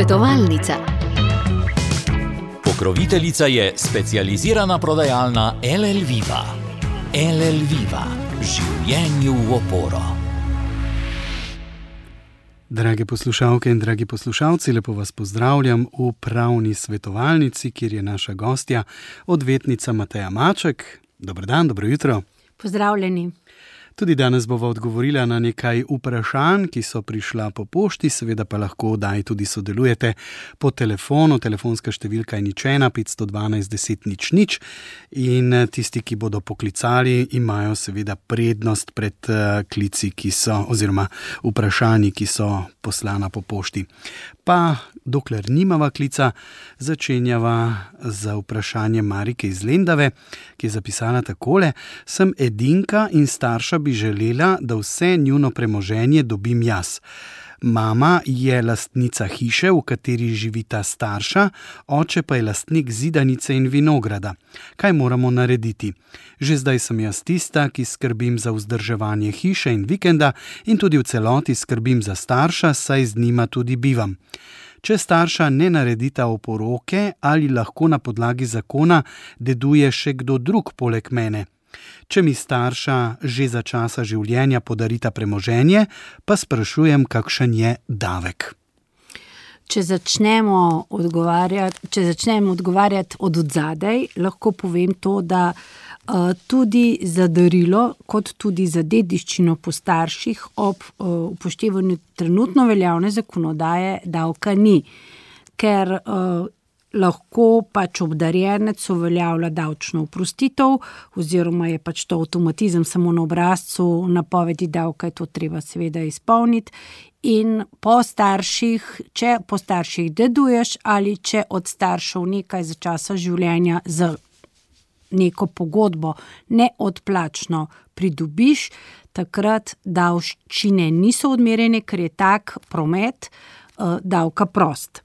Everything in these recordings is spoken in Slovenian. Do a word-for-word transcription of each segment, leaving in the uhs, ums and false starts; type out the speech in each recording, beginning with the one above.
Svetovalnica. Pokroviteljica je specializirana prodajalna L L Viva. L L Viva. Življenju v oporo. Drage poslušalke in dragi poslušalci, lepo vas pozdravljam v pravni svetovalnici, kjer je naša gostja, odvetnica Mateja Maček. Dober dan, dobro jutro. Pozdravljeni. Tudi danes bova odgovorila na nekaj vprašanj, ki so prišla po pošti, seveda pa lahko daj tudi sodelujete po telefonu. Telefonska številka je nič ena petsto dvanajst deset nič nič in tisti, ki bodo poklicali, imajo seveda prednost pred klici, ki so, oziroma vprašanji, ki so poslana po pošti. Pa dokler nimava klica, začenjava z vprašanjem Marike iz Lendave, ki je zapisala takole: sem edinka in starša bi želela, da vse njuno premoženje dobim jaz. Mama je lastnica hiše, v kateri živita starša, oče pa je lastnik zidanice in vinograda. Kaj moramo narediti? Že zdaj sem jaz tista, ki skrbim za vzdrževanje hiše in vikenda in tudi v celoti skrbim za starša, saj z njima tudi bivam. Če starša ne naredita oporoke, ali lahko na podlagi zakona deduje še kdo drug poleg mene? Če mi starša že za časa življenja podarita premoženje, pa sprašujem, kakšen je davek. Če začnemo odgovarjati, če začnemo odgovarjati od odzadaj, lahko povem to, da uh, tudi za darilo, kot tudi za dediščino po starših ob uh, upoštevanju trenutno veljavne zakonodaje davka ni, ker uh, lahko pač obdarjenec uveljavlja davčno oprostitev oziroma je pač to avtomatizem samo na obrazcu napovedi davka, je to treba seveda izpolniti. In po starših, če po starših deduješ ali če od staršev nekaj za časa življenja za neko pogodbo neodplačno pridobiš, takrat davščine niso odmerjene, ker je tak promet uh, davka prost.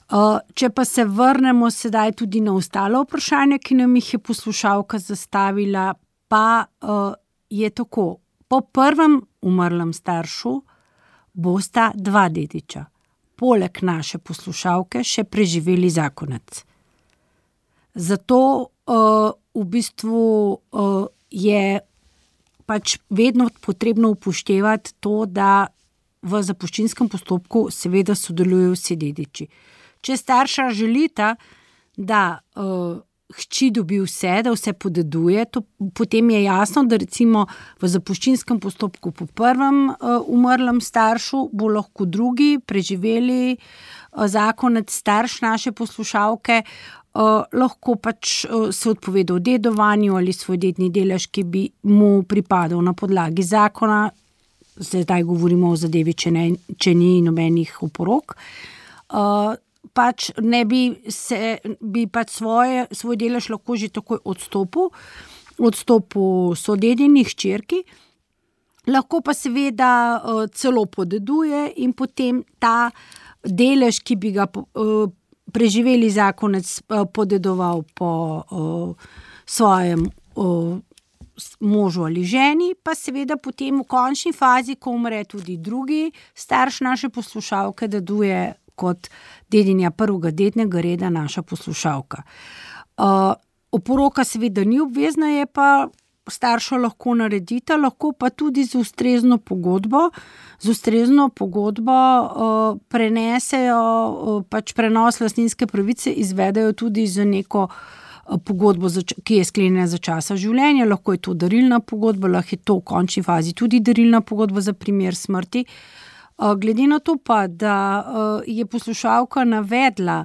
Uh, če pa se vrnemo sedaj tudi na ostalo vprašanje, ki nam jih je poslušalka zastavila, pa uh, je tako. Po prvem umrlem staršu bosta dva dediča, poleg naše poslušalke še preživeli zakonec. Zato uh, v bistvu uh, je pač vedno potrebno upoštevati to, da v zapuščinskem postopku seveda sodelujejo vsi dediči. Če starša želita, da uh, hči dobi vse, da vse podeduje, to, potem je jasno, da recimo v zapuščinskem postopku po prvem uh, umrlem staršu bo lahko drugi preživeli uh, zakonec starš naše poslušalke, uh, lahko pač uh, se odpovedal dedovanju ali svoj dedni delež, ki bi mu pripadal na podlagi zakona. Zdaj govorimo o zadevi, če, ne, če ni nobenih oporok. Uh, pač ne bi se, bi pač svoje, svoj delež lahko že takoj odstopil, odstopil sodedini hčerki, lahko pa seveda uh, celo podeduje in potem ta delež, ki bi ga uh, preživeli zakonec uh, podedoval po uh, svojem uh, možu ali ženi, pa seveda potem v končni fazi, ko umre tudi drugi starš naše poslušalke, deduje kot dedinja prvega dednega reda naša poslušalka. Uh, oporoka seveda ni obvezna, je pa starša lahko naredita, lahko pa tudi z ustrezno pogodbo, z ustrezno pogodbo uh, prenesejo, uh, pač prenos lastninske pravice izvedejo tudi za neko pogodbo, ki je sklenjena za časa življenja, lahko je to darilna pogodba, lahko je to v končni fazi tudi darilna pogodba za primer smrti. Glede na to pa, da je poslušalka navedla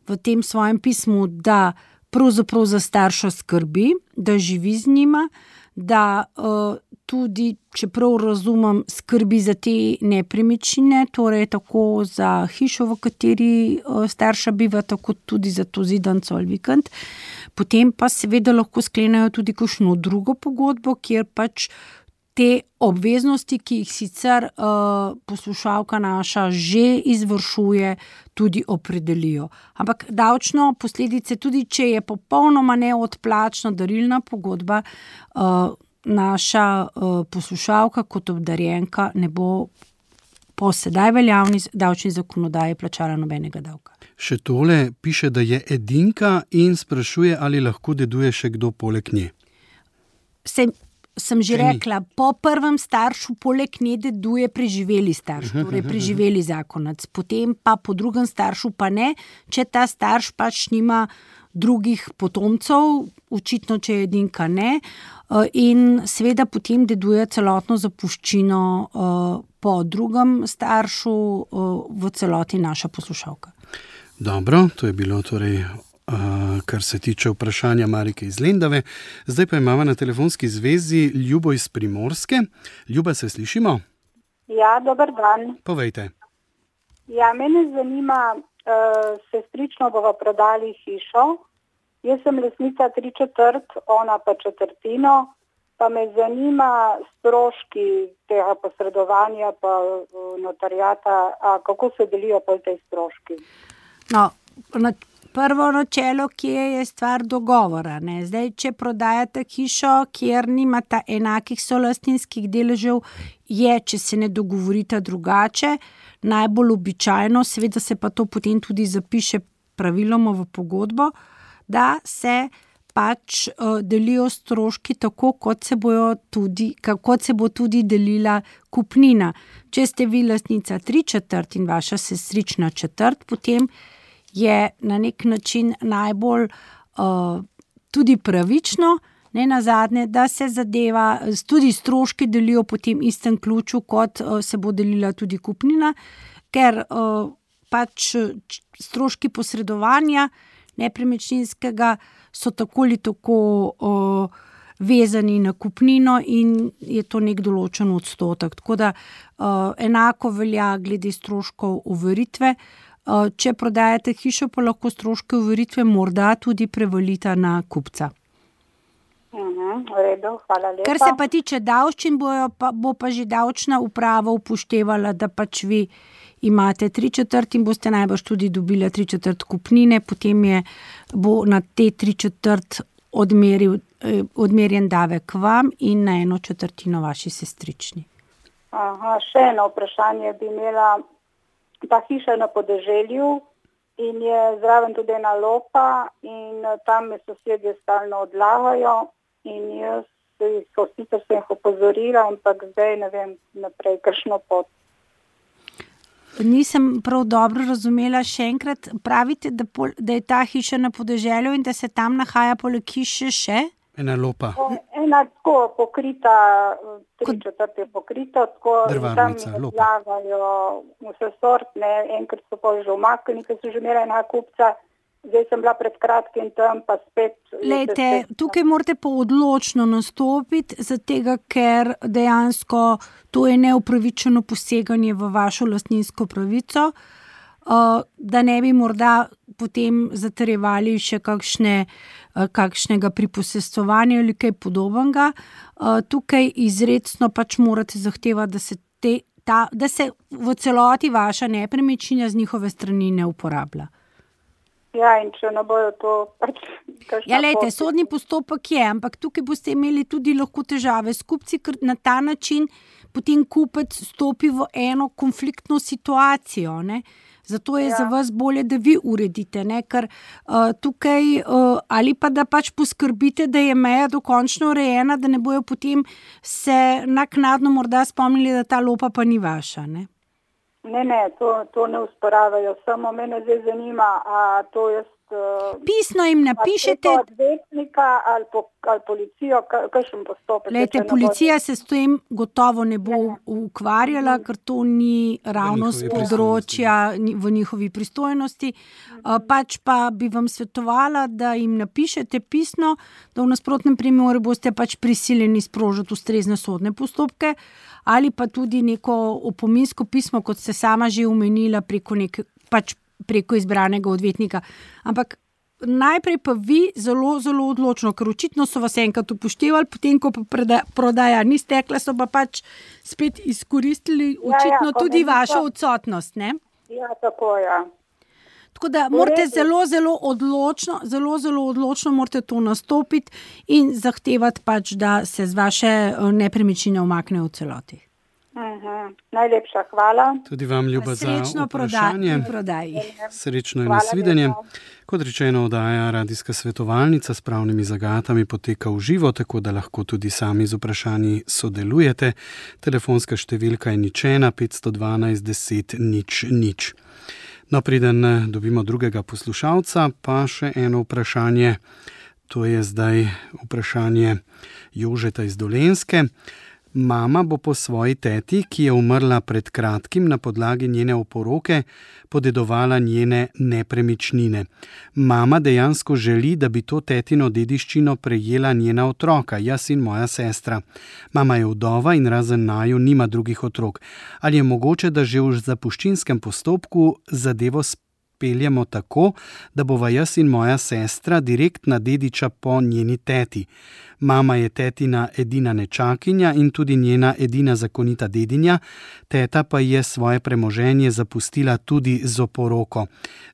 v tem svojem pismu, da pravzaprav za starša skrbi, da živi z njima, da tudi, čeprav razumem, skrbi za te nepremičnine, torej tako za hišo, v kateri starša biva, tako tudi za to zidanico ali vikend, potem pa seveda lahko sklenejo tudi kakšno drugo pogodbo, kjer pač te obveznosti, ki jih sicer uh, poslušalka naša že izvršuje, tudi opredelijo. Ampak davčno posledice, tudi če je popolnoma neodplačna darilna pogodba, uh, naša uh, poslušalka kot obdarjenka ne bo po sedaj veljavni davčni zakonodaji plačala nobenega davka. Še tole piše, da je edinka in sprašuje, ali lahko deduje še kdo poleg nje. Se, sem že rekla, po prvem staršu poleg nje deduje preživeli starš, torej preživeli zakonec. Potem pa po drugem staršu pa ne, če ta starš pač nima drugih potomcev, očitno, če je edinka ne. In seveda potem deduje celotno zapuščino po drugem staršu, v celoti naša poslušalka. Dobro, to je bilo torej, uh, kar se tiče vprašanja Marike iz Lendave. Zdaj pa imamo na telefonski zvezi Ljubo iz Primorske. Ljuba, se slišimo? Ja, dober dan. Povejte. Ja, mene zanima, uh, sestrično bova prodali hišo. Jaz sem lastnica tri četrt, ona pa četrtino. Pa me zanima stroški tega posredovanja pa notarijata, a kako se delijo pa te stroški. No, na prvo načelo, ki je, je stvar dogovora. Ne? Zdaj, če prodajate hišo, kjer nimata enakih solastninskih deležev, je, če se ne dogovorite drugače, najbolj običajno, seveda se pa to potem tudi zapiše praviloma v pogodbo, da se pač uh, delijo stroški tako, kot se, bojo tudi, kot se bo tudi delila kupnina. Če ste vi lastnica tri četrt in vaša sestrična četrt, potem je na nek način najbolj uh, tudi pravično, ne nazadnje, da se zadeva, tudi stroški delijo po tem istem ključu, kot uh, se bo delila tudi kupnina, ker uh, pač stroški posredovanja nepremičninskega so tako ali tako uh, vezani na kupnino in je to nek določen odstotek. Tako da uh, enako velja glede stroškov overitve. Uh, če prodajate hišo, pa lahko stroške overitve morda tudi prevalita na kupca. Mhm, v redu, hvala lepa. Kar se pa tiče davščin, bojo pa, bo pa že davčna uprava upoštevala, da pač vi imate tri četrt in boste najbrž tudi dobili tri četrt kupnine, potem je, bo na te tri četrt odmeril, eh, odmerjen davek vam in na eno četrtino vaši sestrični. Aha, še eno vprašanje bi imela. Ta hiša je na podeželju in je zraven tudi ena lopa in tam me sosedje stalno odlagajo in jaz so sicer sem jih opozorila, ampak zdaj ne vem naprej, kakšno pot. Nisem prav dobro razumela, še enkrat pravite, da, pol, da je ta hiša na podeželju in da se tam nahaja poleg hiše še? Ena lopa. Ena tako pokrita, tri četrt je pokrita, tako drvarnica, tam lopa. Odlagajo vse sortne, enkrat so pa že umaknili, ker so že imela ena kupca, zdaj sem bila pred kratkim tam, pa spet... Lejte, tukaj morate pa odločno nastopiti, zatega, ker dejansko to je neupravičeno poseganje v vašo lastninsko pravico, da ne bi morda potem zatrjevali še kakšne, kakšnega priposestovanja ali kaj podobnega. Tukaj izrecno pač morate zahtevati, da se, te, ta, da se v celoti vaša nepremičnina z njihove strani ne uporablja. Ja, in če ne bojo to pač... Ja, lejte, sodni postopek je, ampak tukaj boste imeli tudi lahko težave s kupci, ker na ta način potem kupec stopi v eno konfliktno situacijo, ne. Zato je ja. Za vas bolje, da vi uredite, ne, ker uh, tukaj uh, ali pa da pač poskrbite, da je meja dokončno urejena, da ne bojo potem se naknadno morda spomnili, da ta lopa pa ni vaša, ne. Ne, ne, to, to ne usporavajo, samo mene zdaj zanima, a to jaz... Uh, Pisno jim napišete... Ali odvetnika ali, po, ali policijo, kakšen postopek? Lejte, policija se s tem gotovo ne bo ne. ukvarjala, ker to ni ravno z področja v njihovi pristojnosti. Uh, pač pa bi vam svetovala, da jim napišete pisno, da v nasprotnem primeru boste pač prisiljeni sprožiti ustrezne sodne postopke, ali pa tudi neko opominsko pismo, kot ste sama že omenila, preko, nek, pač preko izbranega odvetnika. Ampak najprej pa vi zelo, zelo odločno, ker očitno so vas enkrat upoštevali, potem, ko pa prodaja ni stekla, so pa pač spet izkoristili očitno ja, ja, tudi vašo odsotnost, ne? Ja, tako, ja. Tako da morate zelo, zelo odločno, zelo, zelo odločno morate to nastopiti in zahtevati pač, da se z vaše nepremičnine umakne v celoti. Uh-huh. Najlepša hvala. Tudi vam, Ljuba, za vprašanje. Prodaji. Srečno in nasvidenje. Kot rečeno, oddaja Radijska svetovalnica s pravnimi zagatami poteka v živo, tako da lahko tudi sami z vprašanji sodelujete. Telefonska številka je nič ena petsto dvanajst deset nič nič. No, preden dobimo drugega poslušalca, pa še eno vprašanje. To je zdaj vprašanje Jožeta iz Dolenjske. Mama bo po svoji teti, ki je umrla pred kratkim na podlagi njene oporoke, podedovala njene nepremičnine. Mama dejansko želi, da bi to tetino dediščino prejela njena otroka, jaz in moja sestra. Mama je vdova in razen naju nima drugih otrok. Ali je mogoče, da že v zapuščinskem postopku zadevo speljemo tako, da bova jaz in moja sestra direktna dediča po njeni teti? Mama je tetina edina nečakinja in tudi njena edina zakonita dedinja, teta pa je svoje premoženje zapustila tudi z oporoko.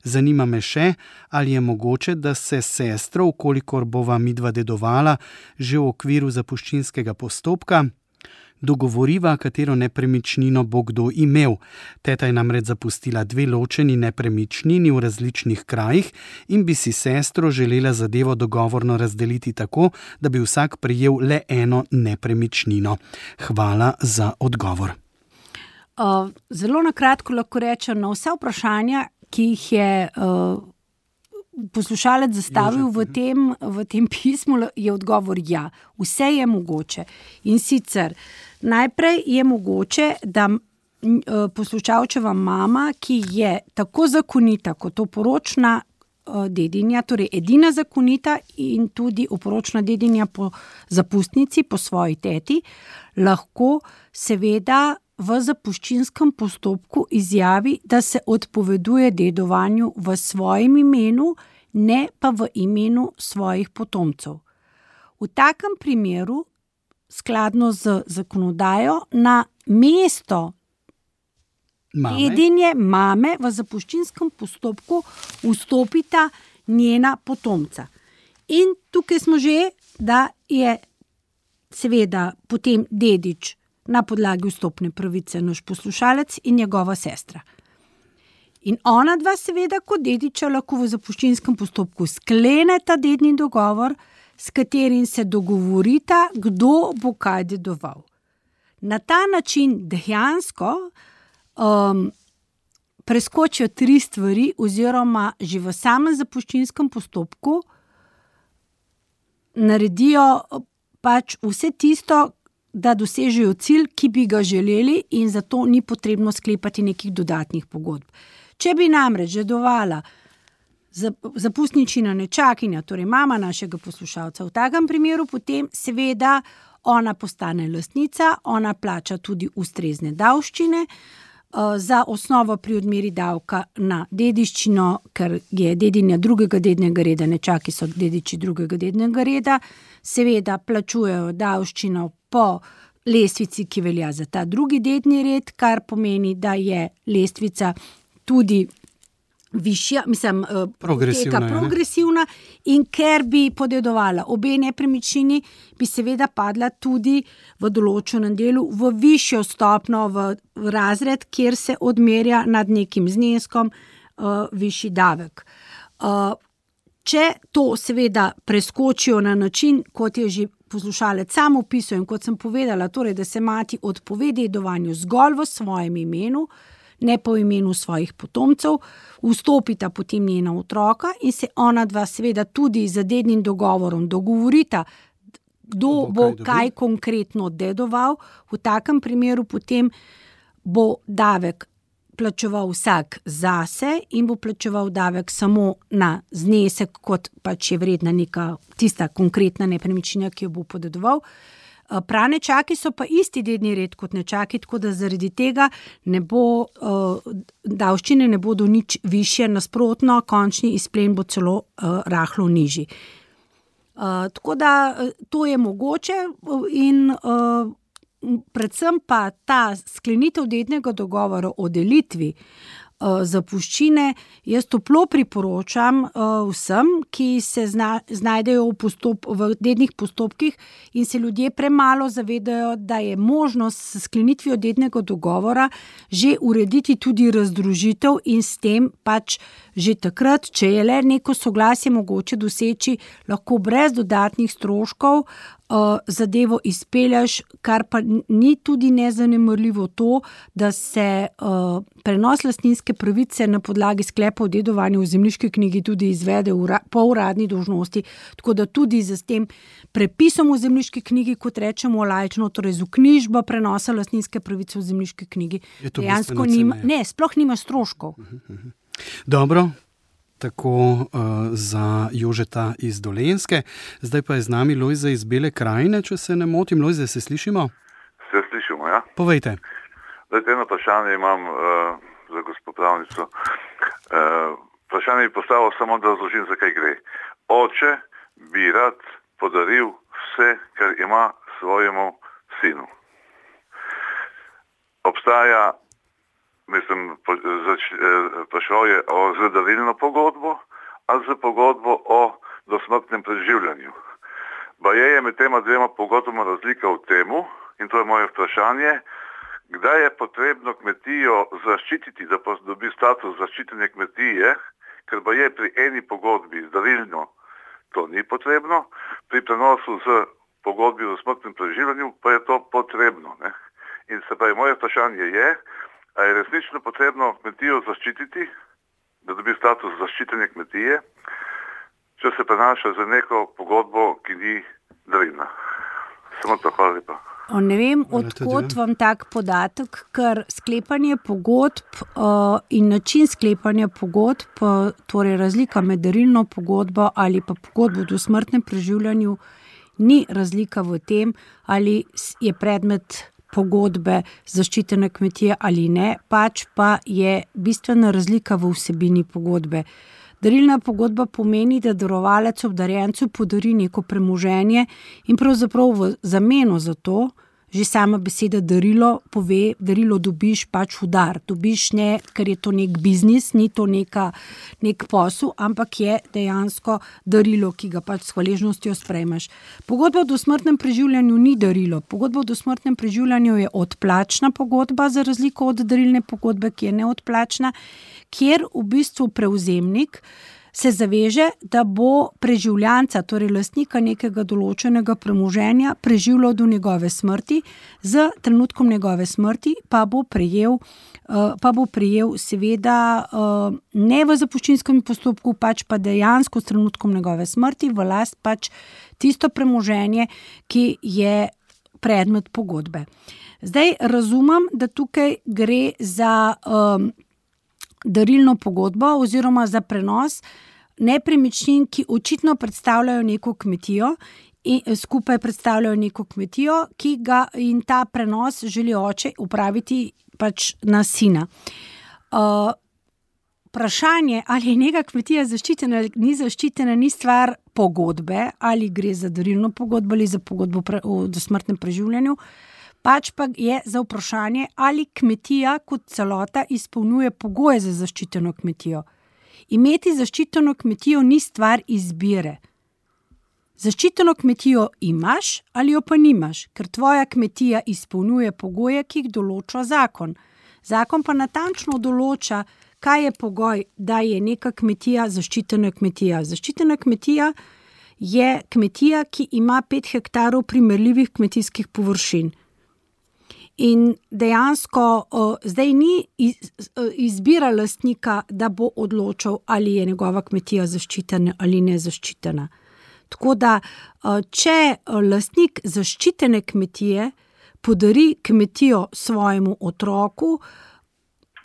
Zanima me še, ali je mogoče, da se sestro, ukolikor bova midva dedovala, že v okviru zapuščinskega postopka, dogovoriva, katero nepremičnino bo kdo imel. Teta je namreč zapustila dve ločeni nepremičnini v različnih krajih in bi si sestro želela zadevo dogovorno razdeliti tako, da bi vsak prejel le eno nepremičnino. Hvala za odgovor. Uh, zelo na kratko lahko rečem, na vsa vprašanja, ki jih je uh, poslušalec zastavil v tem, v tem pismu, je odgovor ja. Vse je mogoče. In sicer najprej je mogoče, da poslušalčeva mama, ki je tako zakonita kot oporočna dedinja, torej edina zakonita in tudi oporočna dedinja po zapustnici, po svoji teti, lahko seveda v zapuščinskem postopku izjavi, da se odpoveduje dedovanju v svojem imenu, ne pa v imenu svojih potomcev. V takem primeru, skladno z zakonodajo, na mesto dedinje mame v zapuščinskem postopku vstopita njena potomca. In tukaj smo že, da je seveda potem dedič na podlagi vstopne pravice naš poslušalec in njegova sestra. In ona dva seveda kot dediča lahko v zapuščinskem postopku skleneta dedni dogovor, s katerim se dogovorita, kdo bo kaj dedoval. Na ta način dejansko um, preskočijo tri stvari oziroma že v samem zapuščinskem postopku naredijo pač vse tisto, da dosežejo cilj, ki bi ga želeli, in zato ni potrebno sklepati nekih dodatnih pogodb. Če bi namreč dedovala zapustničina nečakinja, torej mama našega poslušalca, v takem primeru potem seveda ona postane lastnica, ona plača tudi ustrezne davščine, za osnovo pri odmeri davka na dediščino, ker je dedinja drugega dednega reda, nečaki so dediči drugega dednega reda, seveda plačujejo davščino po lestvici, ki velja za ta drugi dedni red, kar pomeni, da je lestvica tudi višja, mislim, progresivna, progresivna in ker bi podedovala obe nepremičnini, bi seveda padla tudi v določenem delu v višjo stopno, v razred, kjer se odmerja nad nekim zneskom uh, višji davek. Uh, če to seveda preskočijo na način, kot je že poslušalec sam opisal in kot sem povedala, torej, da se mati odpove dedovanju zgolj v svojem imenu, ne po imenu svojih potomcev, vstopita potem njena otroka in se ona dva seveda tudi z dednim dogovorom dogovorita, kdo bo kaj, kaj konkretno dedoval. V takem primeru potem bo davek plačeval vsak zase in bo plačeval davek samo na znesek, kot pač je vredna neka tista konkretna nepremičnina, ki jo bo podedoval. Pranečaki so pa isti dedni red kot nečaki, tako da zaradi tega ne bo, uh, davščine ne bodo nič višje, nasprotno, končni izplen bo celo uh, rahlo nižji. Uh, tako da to je mogoče in uh, predvsem pa ta sklenitev dednega dogovora o delitvi zapuščine, jaz toplo priporočam vsem, ki se zna, znajdejo v, postop, v dednih postopkih in se ljudje premalo zavedajo, da je možnost s sklenitvijo dednega dogovora že urediti tudi razdružitev in s tem pač že takrat, če je le neko soglasje mogoče doseči, lahko brez dodatnih stroškov zadevo izpeljaš, kar pa ni tudi nezanemarljivo to, da se uh, prenos lastninske pravice na podlagi sklepa o dedovanju v zemljiški knjigi tudi izvede ura, po uradni dolžnosti, tako da tudi z tem prepisom v zemljiški knjigi, kot rečemo laično, torej z vknjižbo prenosa lastninske pravice v zemljiški knjigi, dejansko nima, ne, sploh nima stroškov. Dobro. Tako uh, za Jožeta iz Dolenjske. Zdaj pa je z nami Lojze iz Bele krajine, če se ne motim. Lojze, se slišimo? Se slišimo, ja. Povejte. Zdaj, eno vprašanje imam uh, za gospo pravnico. Uh, vprašanje bi postavil samo, da razložim, za kaj gre. Oče bi rad podaril vse, kar ima svojemu sinu. Obstaja Mislim, prišel je o zadarilno pogodbo, ali za pogodbo o dosmrtnem preživljanju. Baje je med tema dvema pogodbama razlika v temu, in to je moje vprašanje, kdaj je potrebno kmetijo zaščititi, da dobi status zaščitene kmetije, ker baje pri eni pogodbi zdarilno to ni potrebno, pri prenosu z pogodbi o dosmrtnem preživljanju pa je to potrebno. Ne? In se pravi, moje vprašanje je, a je resnično potrebno kmetijo zaščititi, da dobi status zaščitene kmetije, če se prenaša za neko pogodbo, ki ni darilna. Samo to, hvala lepa. Ne vem, odkot vam tak podatek, ker sklepanje pogodb uh, in način sklepanja pogodb, uh, torej razlika med darilno pogodbo ali pa pogodbo o dosmrtnem preživljanju, ni razlika v tem, ali je predmet pogodbe zaščitene kmetije ali ne, pač pa je bistvena razlika v vsebini pogodbe. Darilna pogodba pomeni, da darovalec obdarjencu podari neko premoženje in pravzaprav v zameno za to, že sama beseda darilo pove, darilo dobiš pač v dar. Dobiš ne, ker je to nek biznis, ni to neka, nek posel, ampak je dejansko darilo, ki ga pač s hvaležnostjo sprejmeš. Pogodba o dosmrtnem preživljanju ni darilo. Pogodba o dosmrtnem preživljanju je odplačna pogodba, za razliko od darilne pogodbe, ki je neodplačna, kjer v bistvu prevzemnik se zaveže, da bo preživljanca, torej lastnika nekega določenega premoženja, preživljal do njegove smrti, z trenutkom njegove smrti pa bo prejel, pa bo prejel seveda ne v zapuščinskem postopku, pač pa dejansko s trenutkom njegove smrti v last pač tisto premoženje, ki je predmet pogodbe. Zdaj razumem, da tukaj gre za um, darilno pogodbo oziroma za prenos nepremičnin, ki očitno predstavljajo neko kmetijo in skupaj predstavljajo neko kmetijo, ki ga in ta prenos želi oče upraviti pač na sina. Uh, vprašanje, ali je neka kmetija zaščitena ali ni zaščitena, ni stvar pogodbe, ali gre za darilno pogodbo ali za pogodbo pre, o dosmrtnem preživljanju, pač pa je za vprašanje, ali kmetija kot celota izpolnjuje pogoje za zaščiteno kmetijo. Imeti zaščiteno kmetijo ni stvar izbire. Zaščiteno kmetijo imaš ali jo pa nimaš, ker tvoja kmetija izpolnjuje pogoje, ki jih določa zakon. Zakon pa natančno določa, kaj je pogoj, da je neka kmetija zaščitena kmetija. Zaščitena kmetija je kmetija, ki ima pet hektarov primerljivih kmetijskih površin. In dejansko uh, zdaj ni iz, uh, izbira lastnika, da bo odločal, ali je njegova kmetija zaščitena ali nezaščitena. Tako da, uh, če lastnik zaščitene kmetije podari kmetijo svojemu otroku,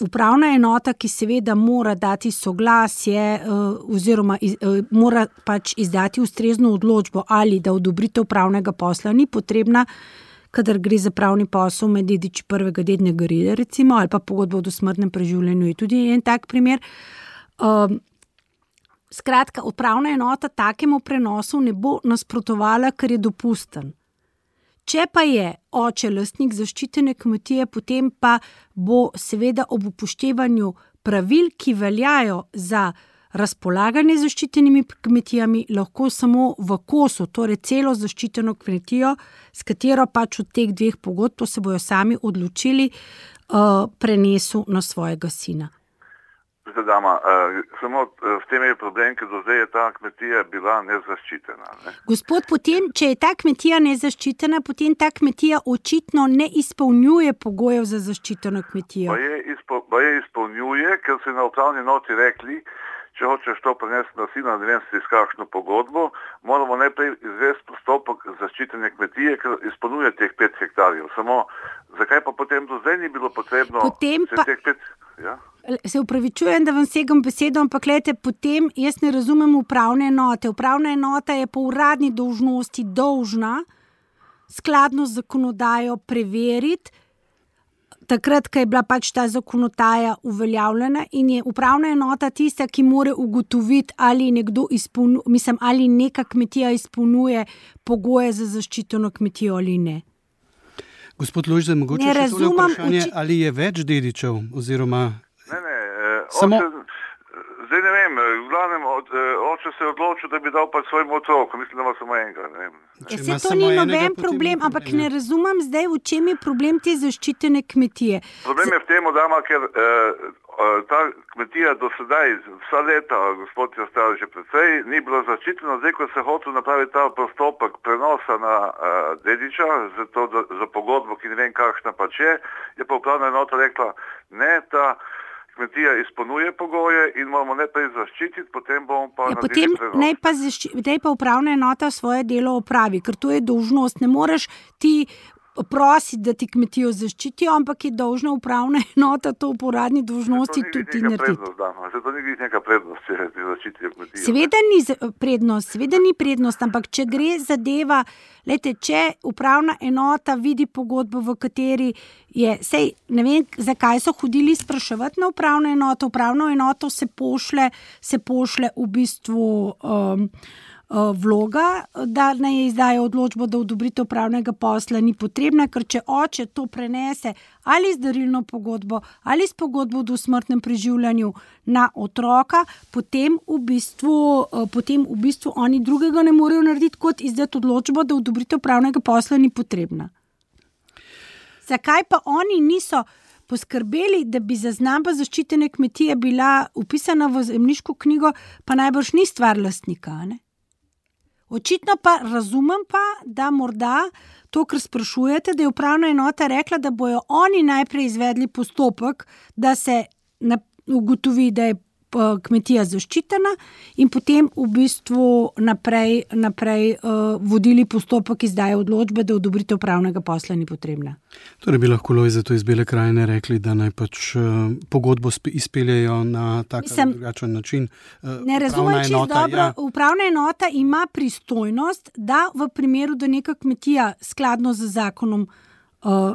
upravna enota, ki seveda mora dati soglasje uh, oziroma iz, uh, mora pač izdati ustrezno odločbo ali da odobritev pravnega posla ni potrebna, kadar gre za pravni posel med dediči prvega dednega reda, recimo, ali pa pogodba o dosmrtnem preživljanju je tudi en tak primer. Um, skratka, upravna enota takemu prenosu ne bo nasprotovala, ker je dopusten. Če pa je oče lastnik zaščitene kmetije, potem pa bo seveda ob upoštevanju pravil, ki veljajo za razpolaganje z zaščitenimi kmetijami, lahko samo v kosu, torej celo zaščiteno kmetijo, s katero pač od teh dveh pogodb, to se bojo sami odločili, uh, prenesu na svojega sina. Dama, uh, samo uh, v tem je problem, ker do zdaj je ta kmetija bila nezaščitena. Ne? Gospod, potem, če je ta kmetija nezaščitena, potem ta kmetija očitno ne izpolnjuje pogojev za zaščiteno kmetijo. Pa je, izpo, pa je izpolnjuje, ker so na upravni noti rekli, če hočeš to prenesti na sina, ne vem si s kakšno pogodbo, moramo najprej izvesti postopek zaščitene kmetije, ker izpolnjuje teh pet hektarjev. Samo, zakaj pa potem do zdaj ni bilo potrebno potem pa... teh pet... Ja? Se upravičujem, da vam segam besedo, ampak gledajte, potem jaz ne razumem upravne enote. Upravna enota je po uradni dolžnosti dolžna skladno z zakonodajo preveriti, takrat, ko je bila pač ta zakonodaja uveljavljena, in je upravna enota tista, ki more ugotoviti, ali nekdo izpolnjuje, mislim, ali neka kmetija izpolnjuje pogoje za zaščiteno kmetijo ali ne. Gospod Lojze, mogoče še tole vprašanje, uči... ali je več dedičev oziroma... Ne, ne, eh, Samo... oče, zdaj ne vem, v glavnem od, oče se je odločil, da bi dal pa svojim otrokom, mislim, da ima samo enega, ne vem. Ja, se to ni noben problem, ampak ne razumem zdaj, v čem je problem te zaščitene kmetije. Problem je v tem, dama, ker eh, ta kmetija do sedaj, vsa leta, gospod je ostal že precej, ni bila zaščitena, zdaj, ko se hotel napraviti ta postopek prenosa na eh, dediča, za, to, da, za pogodbo, ki ne vem kakšna pač je, je pa upravna enota rekla, ne, ta kmetija izpolnjuje pogoje in moramo najprej zaščititi, potem bomo pa ja, naredili prenos. Potem naj pa, zašči, naj pa upravna enota svoje delo opravi, ker to je dolžnost. Ne moreš ti prositi, da ti kmetijo zaščitijo, ampak je dolžna upravna enota to po uradni dolžnosti tudi narediti. Zato ni neka prednost, če ti zaščitijo kmetijo. Seveda ni prednost, seveda ni prednost, ampak če gre zadeva, lejte, če upravna enota vidi pogodbo, v kateri je, sej, ne vem, zakaj so hodili spraševati na upravno enoto, upravno enoto se pošle, se pošle v bistvu um, vloga, da naj izdajo odločbo, da odobritev upravnega posla ni potrebna, ker če oče to prenese ali z darilno pogodbo ali s pogodbo o dosmrtnem preživljanju na otroka, potem v bistvu, potem v bistvu oni drugega ne morejo narediti, kot izdati odločbo, da odobritev upravnega posla ni potrebna. Zakaj pa oni niso poskrbeli, da bi zaznamba zaščitene kmetije bila upisana v zemljiško knjigo, pa najbrž ni stvar lastnika, ne? Očitno pa razumem pa, da morda to, kar sprašujete, da je upravna enota rekla, da bojo oni najprej izvedli postopek, da se ugotovi, da je kmetija zaščitena in potem v bistvu naprej, naprej uh, vodili postopek izdaje odločbe, da odobritev upravnega posla ni potrebna. Torej bi lahko Lojze to iz Bele krajine rekli, da naj pač uh, pogodbo izpeljejo na tak ali drugačen način. Uh, ne razumem čisto dobro. Ja. Upravna enota ima pristojnost, da v primeru, da neka kmetija skladno z zakonom uh,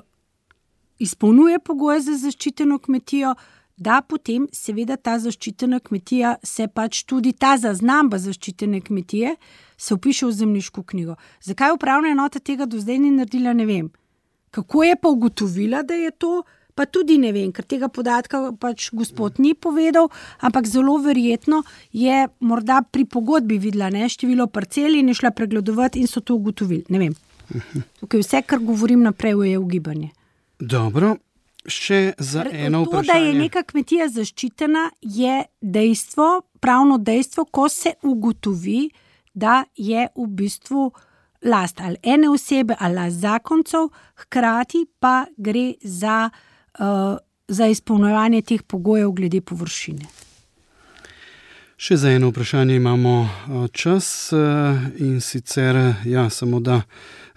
izpolnjuje pogoje za zaščiteno kmetijo, da potem seveda ta zaščitena kmetija se pač tudi ta zaznamba zaščitene kmetije se vpiše v zemljiško knjigo. Zakaj upravna enota tega do zdaj ni naredila, ne vem. Kako je pa ugotovila, da je to, pa tudi ne vem, ker tega podatka pač gospod ni povedal, ampak zelo verjetno je morda pri pogodbi videla, ne, število parcel in je šla pregledovati in so to ugotovili. Ne vem. Tukaj vse, kar govorim naprej, je ugibanje. Dobro. Še za eno to, vprašanje. Da je neka kmetija zaščitena, je dejstvo, pravno dejstvo, ko se ugotovi, da je v bistvu last ali ene osebe ali zakoncev, hkrati pa gre za, uh, za izpolnjevanje teh pogojev glede površine. Še za eno vprašanje imamo čas in sicer, ja, samo da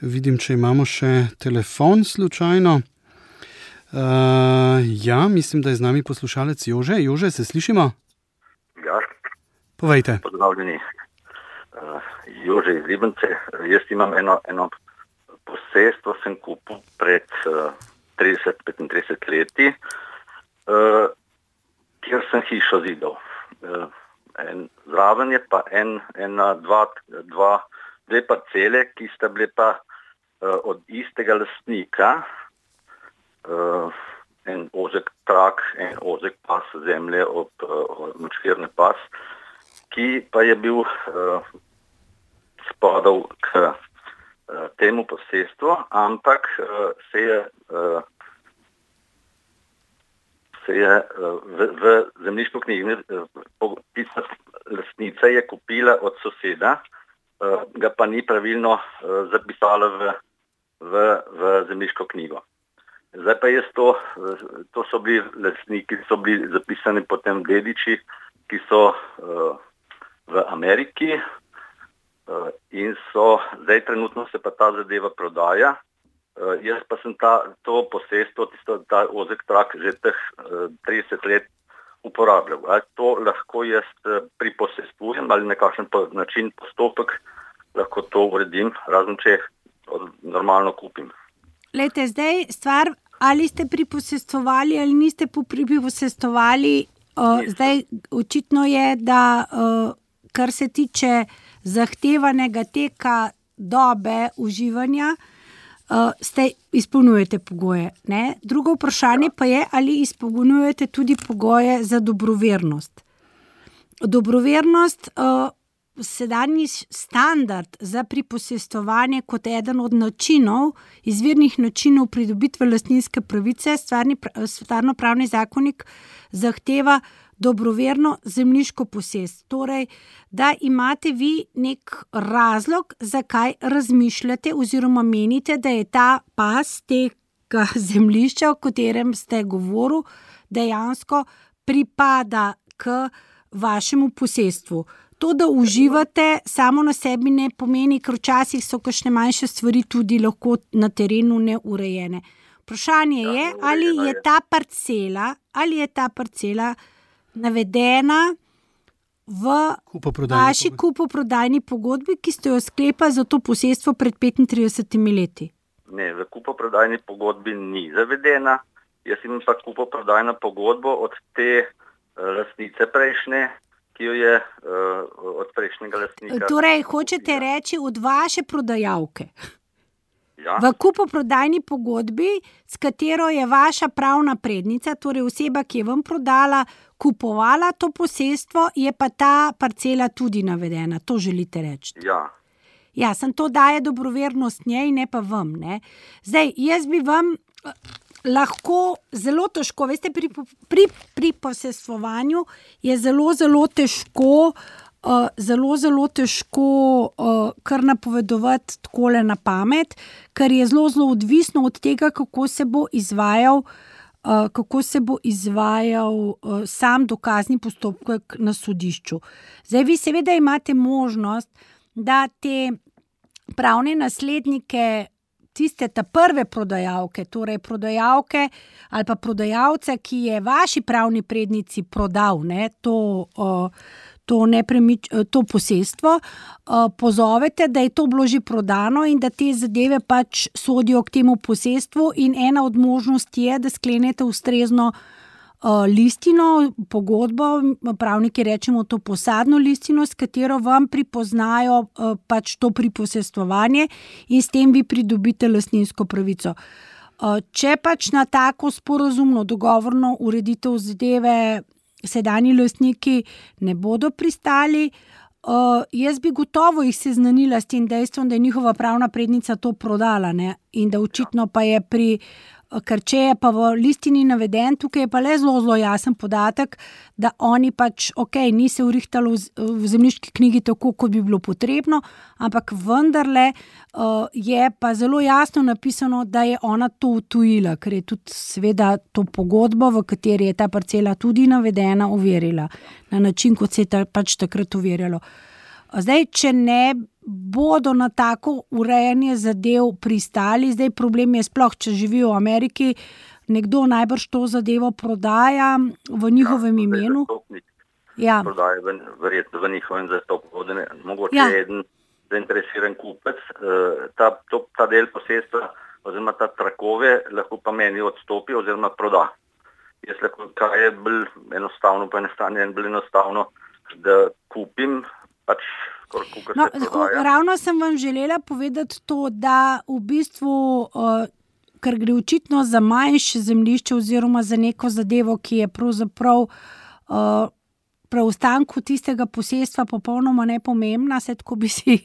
vidim, če imamo še telefon slučajno. Uh, ja, mislim, da je z nami poslušalec Jože. Jože, se slišimo? Ja. Povejte. Pozdravljeni. Uh, Jože iz Ribnice. Jaz imam eno, eno posestvo, sem kupil pred uh, trideset do petintrideset leti, uh, kjer sem hišo zidal. Uh, en, zraven je pa en, ena, dva, dva, dve parcele, ki sta bile pa uh, od istega lastnika. Uh, en ozek trak, en ozek pas zemlje ob uh, močvirni pas, ki pa je bil uh, spadal k uh, temu posestvu, ampak uh, se je, uh, se je uh, v, v zemljiško knjigi uh, lastnica je kupila od soseda, uh, ga pa ni pravilno uh, zapisala v, v, v zemljiško knjigo. Zdaj pa jaz to, to so bili lastniki, so bili zapisani potem dediči, ki so uh, v Ameriki uh, in so, zdaj trenutno se pa ta zadeva prodaja. Uh, jaz pa sem ta, to posestvo, tisto, ta ozek trak že teh uh, trideset let uporabljal. Ali to lahko jaz uh, priposestvujem ali nekakšen po, način postopek lahko to uredim, razen če normalno kupim. Lejte, zdaj stvar, ali ste priposestovali ali niste priposestovali, uh, zdaj očitno je, da uh, kar se tiče zahtevanega teka dobe uživanja, uh, ste izpolnjujete pogoje. Ne? Drugo vprašanje pa je, ali izpolnjujete tudi pogoje za dobrovernost. Dobrovernost, uh, sedanji standard za priposestovanje kot eden od načinov, izvirnih načinov pridobitve lastninske pravice, stvarno-pravni zakonik zahteva dobroverno zemljiško posest. Torej, da imate vi nek razlog, zakaj razmišljate oziroma menite, da je ta pas tega zemljišča, o katerem ste govorili, dejansko pripada k vašemu posestvu. To, da uživate, samo na sebi ne pomeni, ker včasih so kakšne manjše stvari tudi lahko na terenu neurejene. Vprašanje je, ali je ta parcela, ali je ta parcela navedena v vaši kupoprodajni pogodbi, ki ste jo sklepali za to posestvo pred petintridesetimi leti? Ne, v kupoprodajni pogodbi ni zavedena. Jaz imam pa kupoprodajno pogodbo od te lastnice prejšnje, ki jo je uh, od prejšnjega lastnika. Torej, hočete reči od vaše prodajalke. Ja. V kupoprodajni pogodbi, s katero je vaša pravna prednica, torej oseba, ki je vam prodala, kupovala to posestvo, je pa ta parcela tudi navedena. To želite reči? Ja. Ja, sem to daje dobrovernost njej, ne pa vam. Ne? Zdaj, jaz bi vam lahko zelo težko, veste, pri, pri, pri posestvovanju je zelo, zelo težko, uh, zelo, zelo težko uh, kar napovedovati takole na pamet, ker je zelo, zelo odvisno od tega, kako se bo izvajal, uh, kako se bo izvajal uh, sam dokazni postopek na sodišču. Zdaj, vi seveda imate možnost, da te pravne naslednike, tiste ta prve prodajalke, torej prodajalke ali pa prodajalca, ki je vaši pravni prednici prodal, ne, to, uh, to, nepremič, to posestvo, uh, pozovete, da je to bilo že prodano in da te zadeve pač sodijo k temu posestvu, in ena od možnosti je, da sklenete ustrezno uh, listino, pogodbo, pravniki rečemo to posadno listino, s katero vam pripoznajo uh, pač to priposestvovanje in s tem vi pridobite lastninsko pravico. Uh, če pač na tako sporazumno, dogovorno ureditev zadeve sedanji lastniki ne bodo pristali, uh, jaz bi gotovo jih seznanila s tem dejstvom, da je njihova pravna prednica to prodala, ne? In da očitno pa je pri ker če je pa v listini naveden, tukaj je pa le zelo, zelo jasen podatek, da oni pač, ok, ni se urihtalo v, v zemljiški knjigi tako, kot bi bilo potrebno, ampak vendarle uh, je pa zelo jasno napisano, da je ona to utujila, ker je tudi seveda to pogodbo, v kateri je ta parcela tudi navedena, overila na način, kot se je ta, pač takrat overjalo. Zdaj, če ne bodo na tako urejanje zadev pristali, zdaj problem je sploh, če živijo v Ameriki, nekdo najbrž to zadevo prodaja v njihovem ja, imenu. Ja. Prodaja verjetno v njihovem zastopku. Mogoče ja. Eden zainteresiran kupec, ta, to, ta del posestva oziroma ta trakove lahko pa meni odstopi oziroma proda. Jaz lahko, kaj je bolj enostavno, pa enostavno, bolj enostavno, da kupim pač No, ravno sem vam želela povedati to, da v bistvu, ker gre očitno za manjše zemljišče oziroma za neko zadevo, ki je pravzaprav uh, preostanku tistega posestva popolnoma nepomembna, se tako bi si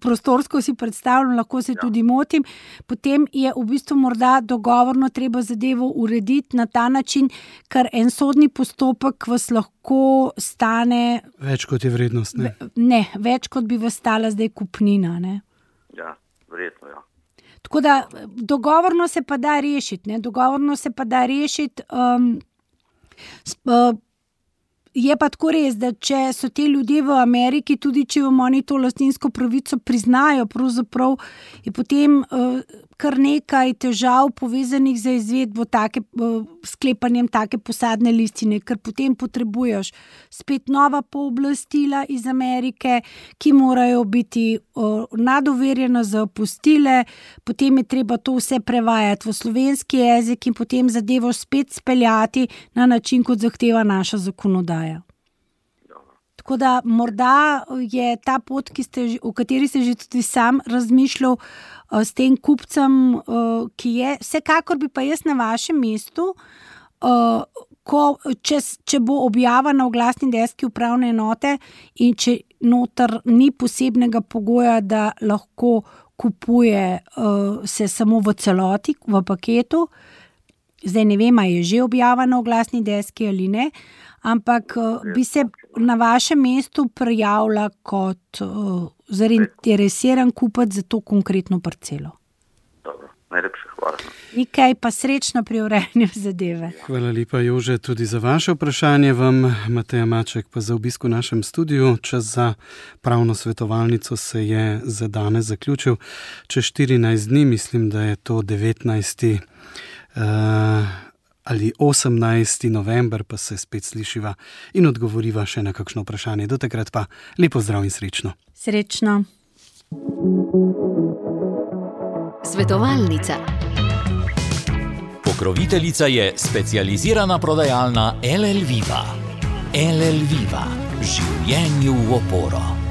prostorsko si predstavljam, lahko se ja. tudi motim, potem je v bistvu morda dogovorno treba zadevo urediti na ta način, ker en sodni postopek vas lahko stane... Več kot je vrednost, ne? Ne, več kot bi vas stala zdaj kupnina, ne? Ja, verjetno, ja. Tako da dogovorno se pa da rešiti, ne? Dogovorno se pa da rešiti... Um, sp, Je pa tako res, da če so te ljudje v Ameriki, tudi če vam oni to lastninsko pravico priznajo, pravzaprav je potem uh, kar nekaj težav povezanih za izvedbo take, uh, sklepanjem take posadne listine, ker potem potrebuješ spet nova pooblastila iz Amerike, ki morajo biti uh, nadoverjena za apostile, potem je treba to vse prevajati v slovenski jezik in potem zadevo spet speljati na način, kot zahteva naša zakonodaja. Tako da morda je ta pot, ki ste, o kateri ste že tudi sam razmišljal uh, s tem kupcem, uh, ki je, vsekakor bi pa jaz na vašem mestu, uh, ko, če, če bo objava na oglasni deski upravne enote in če noter ni posebnega pogoja, da lahko kupuje uh, se samo v celoti, v paketu, zdaj ne vem, a je že objava na oglasni deski ali ne, ampak bi se na vašem mestu prijavila kot uh, zainteresiran kupec za to konkretno parcelo. Dobro, najlepše hvala. Nikaj pa srečno pri urejanju zadeve. Hvala lepa, Jože, tudi za vaše vprašanje. Vam, Mateja Maček, pa za obisk v našem studiu. Čas za pravno svetovalnico se je za danes zaključil. Čez štirinajst dni, mislim, da je to devetnajsti Uh, ali osemnajsti november, pa se spet slišiva in odgovoriva še na kakšno vprašanje. Do takrat pa lepo zdrav in srečno. Srečno. Svetovalnica. Pokroviteljica je specializirana prodajalna L L Viva. L L Viva. Življenju v oporo.